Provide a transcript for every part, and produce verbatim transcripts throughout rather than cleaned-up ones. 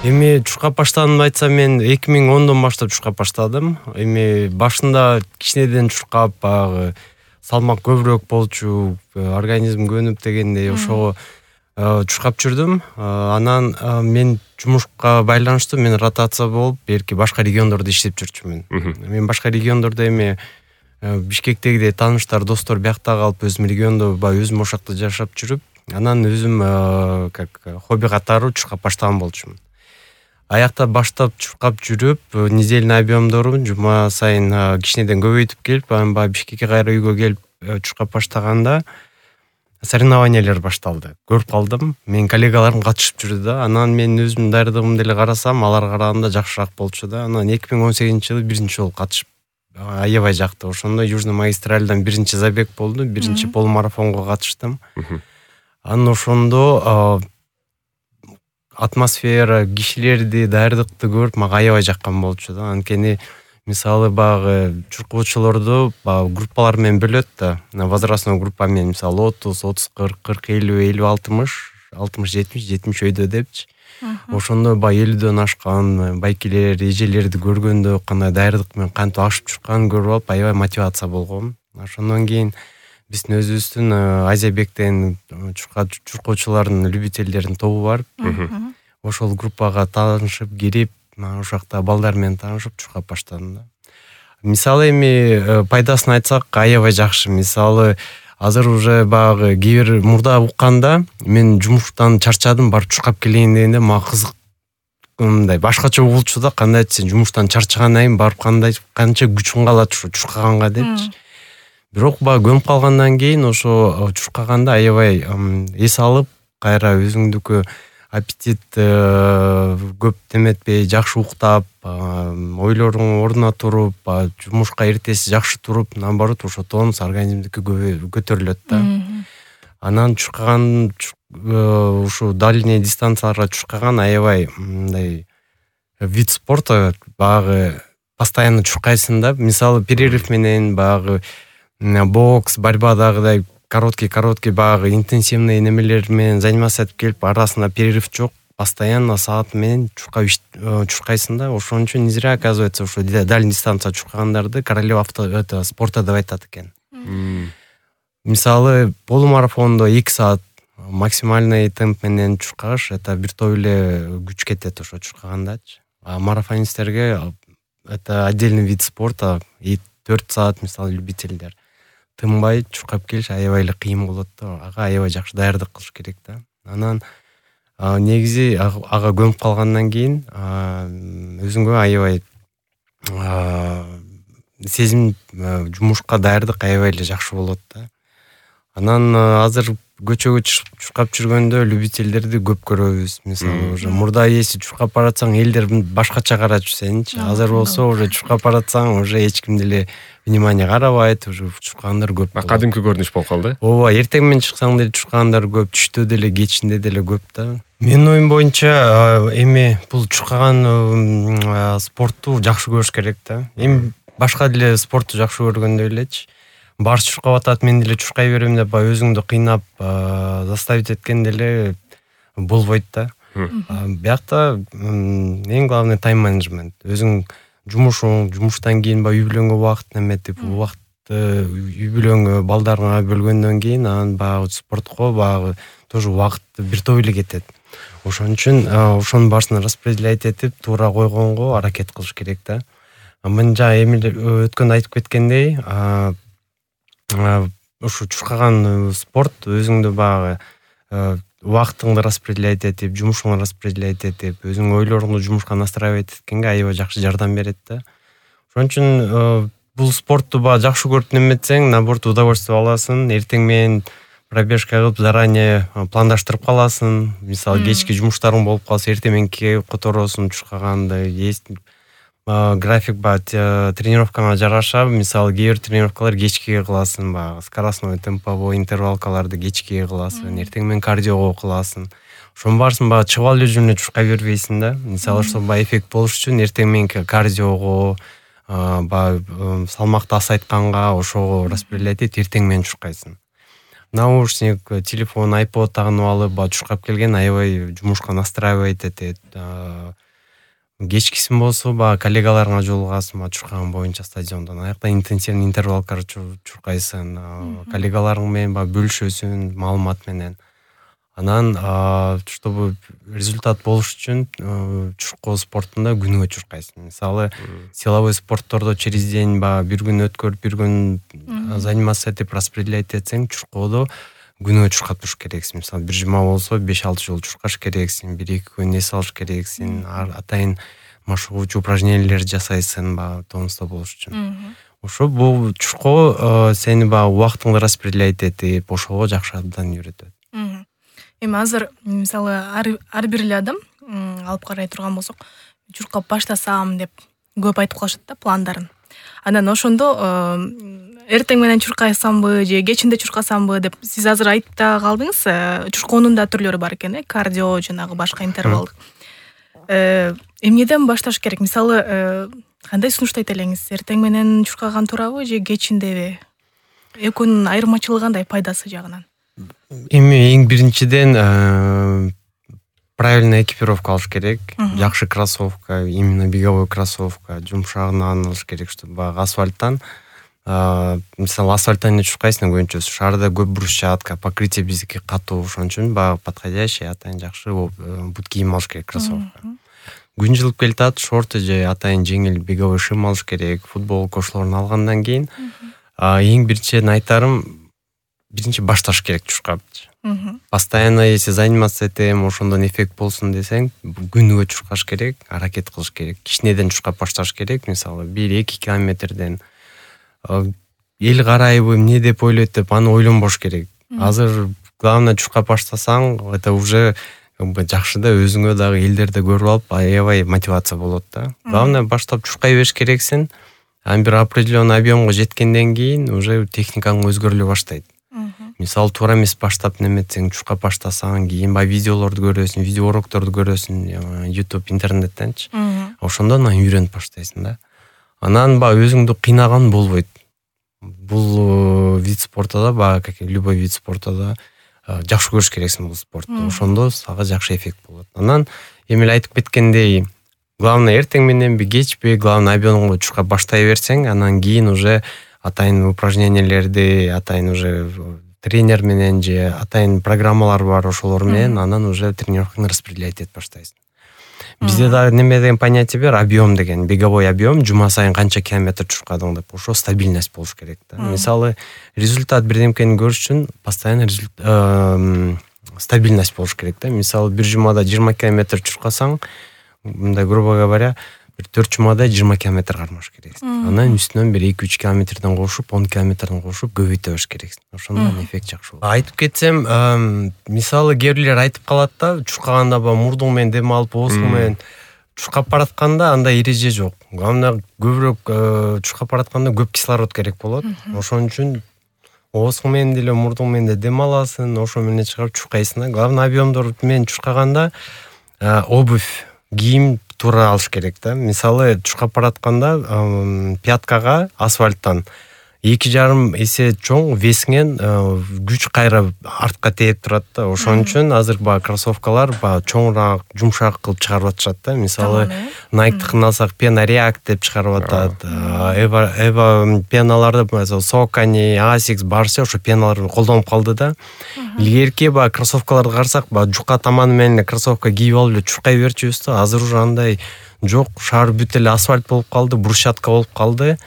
Эми чуркап баштаганымды айтсам, мен эки миң ондон баштап чуркап баштадым. Эми башында кичинеден чуркап, баягы салмак көбүрөөк болчу, организм көнүп дегендей ошого чуркап жүрдүм. Анан мен жумушка байланыштуу мен ротация болуп, берки башка региондордо иштеп жүрчүмүн. Мен башка региондордо эми Бишкектегидей тааныштар, достор биякта калып, өзүм региондо баягы өзүм ошакта жашап жүрүп, анан өзүм как хобби катары чуркап баштаган болчумун. Аякта баштап чуркап жүрүп, недельный объемдорун жума сайын кичинеден көбөйтүп келип, анан баягы Бишкекке кайра үйгө келип чуркап баштаганда соревнованиялар башталды. Көрүп калдым, менин коллегаларым катышып жүрдү да. Анан мен өзүмдүн даярдыгымды эле карасам, аларга караганда жакшыраак болчу да. Анан эки миң он сегизинчи жылы биринчи жолу катышып аябай жакты. Ошондо Южный магистральдан биринчи забег болду, биринчи полумарафонго катыштым. Анан ошондо атмосфера, кишилерди, даярдыкты көрүп, мага аябай жаккан болчу да. Анткени мисалы баягы чуркоочулорду баягы группалар менен бөлөт да. Возрастной группа менен, мисалы отуз, отуз, кырк, кырк, элүү, элүү, алтымыш, алтымыш, жетимиш, жетимиш өйдө депчи. Ошондо баягы элүүдөн ашкан байкелер, эжелерди көргөндө кандай даярдык менен кантип ашып чурканын көрүп алып, аябай мотивация болгом. Ошондон кийин биздин өзүбүздүн Азиябектен чуркоочулардын любительдердин тобу бар. Ошол группага таанышып кирип, ошакта балдар менен таанышып чуркап баштадым да. Мисалы эми пайдасын айтсак, аябай жакшы. Мисалы азыр уже баягы кээ бир мурда укканда мен жумуштан чарчадым, барып чуркап келейин дегенде мага кызык, мындай башкача болчу да. Кандай сен жумуштан чарчагандан кийин барып кандай канча күчүң калат ушу чуркаганга депчи. Бирок баягы көнүп калгандан кийин ошо чуркаганда аябай эс алып, кайра өзүңдүкү аппетит көп теметпей, жакшы уктап, ойлоруң ордуна туруп, жумушка эртеси жакшы туруп, наоборот ошо тонус организмдики көтөрүлөт да. Анан чуркаган ушу дальний дистанцияларга чуркаган аябай мындай вид спорта, баягы постоянно чуркайсың да. Мисалы перерыв менен баягы бокс, борьбадагыдай короткий-короткий баягы интенсивный немелер менен заниматься этип келип, арасында перерыв жок, постоянно саат менен чуркап чуркайсың да. Ошон үчүн не зря, оказывается, ошо дальний дистанция чуркагандарды королева авто это спорта деп айтат экен. Мисалы полумарафондо эки саат максимальный темп менен чуркаш, это бир топ эле күч кетет ошо чуркагандачы. А марафонисттерге это отдельный вид спорта, и төрт саат мисалы любительдер тынбай чуркап келиш аябай эле кыйын болот да. Ага аябай жакшы даярдык кылыш керек да. Анан негизи ага көнүп калгандан кийин өзүңгө аябай сезим, жумушка даярдык аябай эле жакшы болот да. Анан азыр көчөгө чыгып чуркап жүргөндө любительдерди көп көрөбүз. Мисалы уже мурда эси чуркап баратсаң элдер башкача карачу сеничи. Азыр болсо уже чуркап баратсаң уже эч ким деле внимание карабайт, уже чуркагандар көп. Кадимки көрүнүш болуп калды. Ооба, эртең менен чыксаң деле чуркагандар көп, түштө деле, кечинде деле көп да. Менин оюм боюнча эми бул чуркаган спортту жакшы көрүш керек да. Эми башка деле спортту жакшы көргөндөй элечи. Барс чуркап атат, мен деле чуркай берем деп өзүңдү кыйнап заставить эткен деле болбойт да. Биякта эң главный тайм менеджмент. Өзүң жумушуң, жумуштан кийин үй бүлөнгө убакыт неметип, убакытты үй бүлөңгө, балдарыңа бөлгөндөн кийин анан баягы спортко баягы тоже убакытты бир топ эле кетет. Ошон үчүн ошонун баарысын распределять этип, туура койгонго аракет кылыш керек да. Мен жана эми өткөндө айтып кеткендей, ушу чуркаган спорт өзүңдү баягы убактыңды распределять этип, жумушуңду распределять этип, өзүң ойлоруңду жумушка настраивать эткенге аябай жакшы жардам берет да. Ошон үчүн бул спортту баягы жакшы көрүп неметсең, наоборот удовольствие аласың. Эртең менен пробежка кылып заранее пландаштырып каласың. Мисалы кечки жумуштарың болуп калса, эртең мененки которосуң чуркаганды, график ба тренировкаңа жараша, мисалы кээ бир тренировкалар кечкиге кыласың, баягы скоростной, темповой интервалкаларды кечкиге кыласың, эртең менен кардиого кыласың. Ошонун баарысын баягы чыгып алып жүрүп чуркай бербейсиң да. Мисалы ошол баягы эффект болуш үчүн эртең мененки кардиого, баягы салмакты азайтканга ошого распределять этип эртең менен чуркайсың. наушник, телефон, айпод тагынып алып, баягы чуркап келген аябай жумушка настраивать этет. Кечкисин болсо баягы коллегаларыңа жолугасың, баягы чуркаган боюнча стадиондон. Аякта интенсивный интервалкар чуркайсың, коллегаларың менен баягы бөлүшөсүң маалымат менен. Анан чтобы результат болуш үчүн чуркоо спортунда күнүгө чуркайсың. Мисалы, силовой спорттордо через день баягы бир күн өткөрүп, бир күн занимация этип распределять этсең, чуркоодо күнүгө чуркап туруш керексиң. Мисалы, бир жума болсо беш алты жолу чуркаш керексиң, бир эки күн эс алыш керексиң, атайын машыгуучу упражнениялер жасайсың баягы тонуста болуш үчүн. Ошо бул чуркоо сени баягы убактыңды распределять этип, ошого жакшы абдан үйрөтөт. Эми азыр мисалы ар бир эле адам алып карай турган болсок, чуркап баштасам деп көп айтып калышат да пландарын. Анан ошондо эртең менен чуркайсамбы же кечинде чуркасамбы деп сиз азыр айтып да калдыңыз. Чуркоонун да түрлөрү бар экен, э, кардио, жанагы башка интервалдык. Эмнеден башташ керек? Мисалы, кандай сунуштайт элеңиз? Эртең менен чуркаган туурабы же кечиндеби? Экөөнүн айырмачылыгы кандай пайдасы жагынан? Эми эң биринчиден правильный экипировка алыш керек. Жакшы кроссовка, именно беговой кроссовка, жумшагынан алыш керек, чтобы баягы асфальттан, мисалы асфальттан эле чуркайсың көбүнчө шаарда көп брусчатка, покрытие биздики катуу, ошон үчүн баягы подходящий атайын жакшы бут кийим алыш керек, кроссовка. Күн жылып келатат, шорты же атайын жеңил беговой шим алыш керек, футболка ошолорун алгандан кийин эң биринчиден айтарым, биринчи башташ керек чуркап. Постоянно если заниматься этем, ошондон эффект болсун десең, күнүгө чуркаш керек, аракет кылыш керек. Кичинеден чуркап башташ керек, мисалы бир эки километрден. Эл карайбы, эмне деп ойлойт деп аны ойлонбош керек. Азыр главное чуркап баштасаң, это уже жакшы да, өзүңө дагы элдерди көрүп алып, аябай мотивация болот да. Главное баштап чуркай бериш керексиң. Ан бир определенный объемго жеткенден кийин уже техникаң өзгөрүлө баштайт. Мисалы, туура эмес баштап неметсең, чуркап баштасаң, кийин баягы видеолорду көрөсүң, видео урокторду көрөсүң, YouTube, интернеттенчи. Ошондон анан үйрөнүп баштайсың да. Анан баягы өзүңдү кыйнаган болбойт. Бул вид спорта да, баягы как любой вид спорта да жакшы көрүш керексиң бул спортты. Ошондо сага жакшы эффект болот. Анан эми эле айтып кеткендей, главное эртең мененби, кечпи, главное объемго чуркап баштай берсең, анан кийин уже атайын упражнениялерди, атайын уже тренер менен же атайын программалар бар, ошолор менен анан уже тренировканы распределять этип баштайсың. Бизде дагы неме деген понятие бар, объем деген, беговой объем, жума сайын канча километр чуркадың деп. Ошо стабильность болуш керек да. Мисалы, результат бирдемкени көрүш үчүн постоянно стабильность болуш керек да. Мисалы, бир жумада жыйырма километр чуркасаң, мындай грубо говоря, бир төрт жумада жыйырма километр кармаш керексиң. Анан үстүнөн бир эки үч километрден кошуп, он километрден кошуп көбөйтө бериш керексиң. Ошондон эффект жакшы болот. Айтып кетсем, мисалы кээ бирлер айтып калат да, чуркаганда ба мурдуң менен дем алып, оозуң менен чуркап баратканда андай эреже жок. Главное, көбүрөөк чуркап баратканда көп кислород керек болот. Ошон үчүн оозуң менен деле, мурдуң менен дем аласың, ошо менен чыгарып чуркайсың да. Главное, объемдор менен чуркаганда обувь, кийим туура алыш керек да. Мисалы, чуркап баратканда пяткага асфальттан эки жарым эсе чоң весиңен күч кайра артка тээп турат да. Ошон үчүн азыр баягы кроссовкалар баягы чоңураак, жумшак кылып чыгарып атышат да. Мисалы, Nike'тыкын алсак, Pena React деп чыгарып атат. Эва Эва пеналарды, мисалы, Saucony, Asics барсы ошо пеналарды колдонуп калды да. Илгерки баягы кроссовкаларды карасак, баягы жука таманы менен кроссовка кийип алып эле чуркай берчүбүз да. Азыр уже андай жок, шаар бүт эле асфальт болуп калды, брусчатка болуп калды.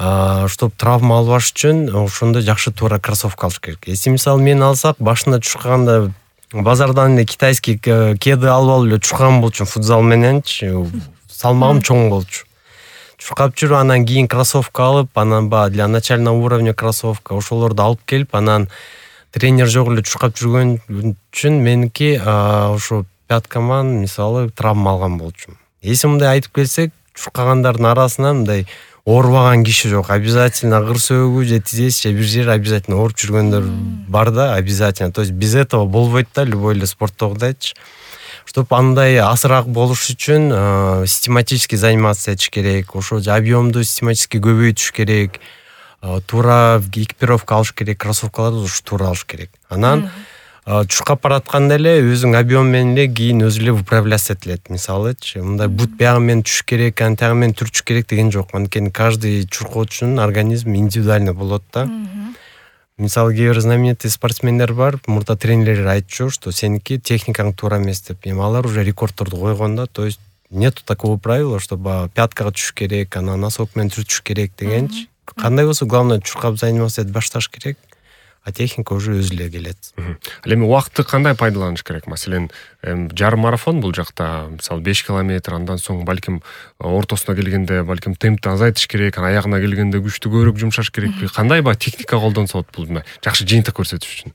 Чтоб травма албаш үчүн ошондо жакшы туура кроссовка алыш керек. Если мисалы мен алсак, башында чуркаганда базардан эле китайский кеды алып алып эле чуркаган болчумун футзал мененчи, салмагым чоң болчу. Чуркап жүрүп, анан кийин кроссовка алып, анан баягы для начального уровня кроссовка ошолорду алып келип, анан тренер жок эле чуркап жүргөн үчүн меники ошо пяткаман мисалы травма алган болчумун. Если мындай айтып келсек, чуркагандардын арасынан мындай оорубаган киши жок. Обязательно ыр сөөгү же тизеси же бир жери обязательно ооруп жүргөндөр бар да, обязательно. То есть без этого болбойт да, любой эле спорттогудайчы. Чтоб андай асыраак болуш үчүн систематически заниматься этиш керек. Ошо объемду систематически көбөйтүш керек. туура экипировка алыш керек, кроссовкаларды ушу туура алыш керек. Анан чуркап баратканда эле өзүң объем менен эле кийин өзү эле управляться этилет. Мисалычы, мындай бут биягы менен түшүш керек, анан тягы менен түрчүш керек деген жок. Анткени каждый чуркоочунун организми индивидуальный болот да. Мисалы кээ бир знаменитый спортсмендер бар, мурда тренерлер айтчу, что сеники техникаң туура эмес деп. Эми алар уже рекордторду койгон да, то есть нету такого правила, чтобы пяткага түшүш керек, анан носок менен түрчүш керек дегенчи. Кандай болсо, главное чуркап заниматься этип башташ керек, а техника уже өзү эле келет. Ал эми убакытты кандай пайдаланыш керек? Маселен, жарым марафон бул жакта, мисалы беш километр, андан соң балким ортосуна келгенде балким темпти азайтыш керек, анан аягына келгенде күчтү көбүрөөк жумшаш керекпи? Кандай баягы техника колдонсо болот бул жакшы жыйынтык көрсөтүш үчүн?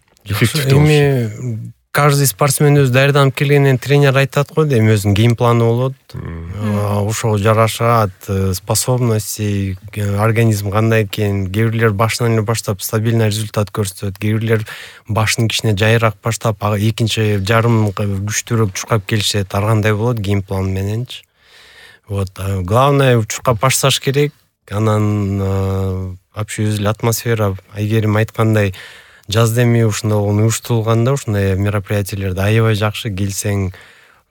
Эми каждый спортсмен өзү даярданып келгенден тренер айтат го, эми өзүнүн геймпланы болот. Ошого жарашат способности, организм кандай экен. Кээ бирлер башынан эле баштап стабильный результат көрсөтөт, кээ бирлер башын кичине жайыраак баштап, экинчи жарым күчтүүрөөк чуркап келишет. Ар кандай болот геймплан мененчи. Вот, главное чуркап башташ керек. Анан вообще өзү эле атмосфера, Айгерим айткандай, жазда эми ушундай уюштурулганда ушундай мероприятиялерде аябай жакшы, келсең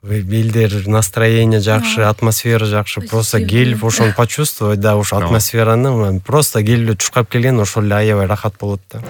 элдер настроение жакшы, атмосфера жакшы, просто келип ошону почувствовать, да, ошо атмосфераны просто келип чуркап келген ошол эле аябай рахат болот да.